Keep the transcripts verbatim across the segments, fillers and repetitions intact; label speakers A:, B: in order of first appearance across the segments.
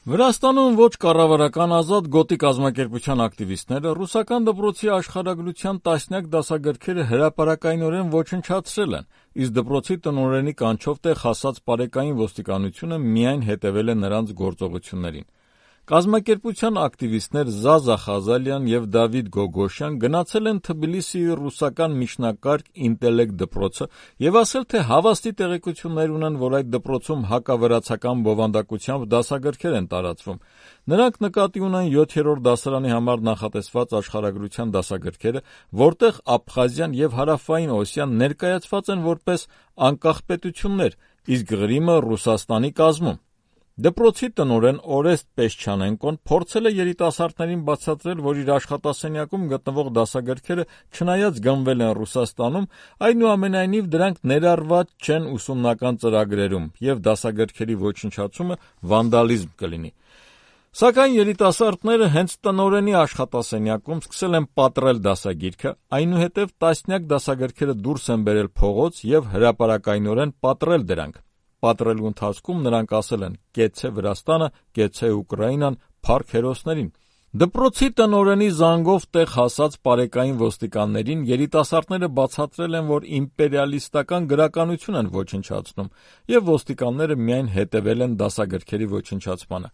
A: Վրաստանում ոչ կառավարական ազատ գոտի կազմակերպության ակտիվիստները ռուսական դպրոցի աշխարհագրության տասնյակ դասագրքերը հրապարակայնորեն ոչնչացրել են, իսկ դպրոցի տնօրենի կանչով տեղ հասած պարեկային ոստիկանությունը միայն հետևել է նրանց գործողություններին։ Կազմակերպության ակտիվիստներ Զազա Խազալյան և Դավիթ Գոգոշյան գնացել են Թբիլիսիի ռուսական միջնակարգ ինտելեկտ դպրոցը և ասել, թե հավաստի տեղեկություններ ունեն, որ այդ դպրոցում հակավրացական բովանդակությամբ դասագրքեր են տարածվում։ Նրանք նկատի ունեն յոթերորդ դասարանի համար նախատեսված աշխարհագրության դասագրքերը, որտեղ Աբխազիան և Հարավային Օսիան ներկայացված են որպես անկախ պետություններ, իսկ Ղրիմը Ռուսաստանի կազմում։ Դպրոցի տնօրեն Օրեստ Պեսչանենկոն փորձել է երիտասարդներին բացատրել, որ իր աշխատասենյակում գտնվող դասագրքերը չնայած գնվել են Ռուսաստանում, այնուամենայնիվ դրանք ներառված չեն ուսումնական ծրագրերում և դասագրքերի ոչնչացումը վանդալիզմ կլինի։ Սակայն երիտասարդները հենց տնօրենի աշխատասենյակում սկսել են պատռել դասագիրքը, այնուհետև տասնյակ դասագրքերը դուրս են բերել փողոց և հրապարակայնորեն պատռել դրանք։ Պատռելու ընթացքում նրանք ասել են «Կեցցե Վրաստանը, կեցցե Ուկրաինան, փառք հերոսներին»։ Դպրոցի տնօրենի զանգով տեղ հասած պարեկային ոստիկաններին երիտասարդները բացատրել են, որ իմպերիալիստական գրականություն են ոչնչացնում, և ոստիկանները միայն հետևել են դասագրքերի ոչնչացմանը։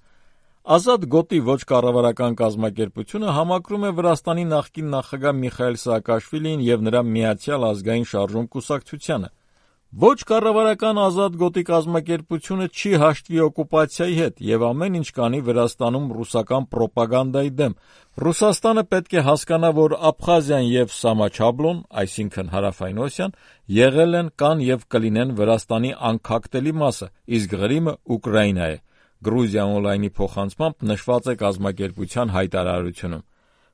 A: Ազատ գոտի ոչ կառավարական կազմակերպությունը համակրում է Վրաստանի նախկին նախագահ Միխայիլ Սաակաշվիլիին և նրա Միացյալ ազգային շարժում կուսակցությանը։ Ոչ կառավարական ազատ գոտի կազմակերպությունը չի հաշտվի օկուպացիայի հետ և ամեն ինչ կանի Վրաստանում ռուսական պրոպագանդայի դեմ։ Ռուսաստանը պետք է հասկանա, որ Աբխազիան և Սամաչաբլոն, այսինքն Հարավային Օսիան, եղել են, կան և կլինեն Վրաստանի անքակտելի մասը, իսկ Ղրիմը Ուկրաինա է։ Գրուզիա օնլայնի փոխանցմամբ նշված է կազմակերպության հայտարարությունում։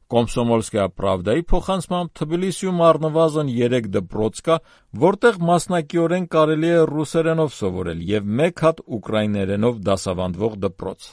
A: Կոմսոմոլսկայա Պրավդայի փոխանցմամբ Թբիլիսիում առնվազն երեք դպրոց կա, որտեղ մասնակիորեն կարելի է ռուսերենով սովորել, և մեկ հատ ուկրաիներենով դասավանդվող դպրոց։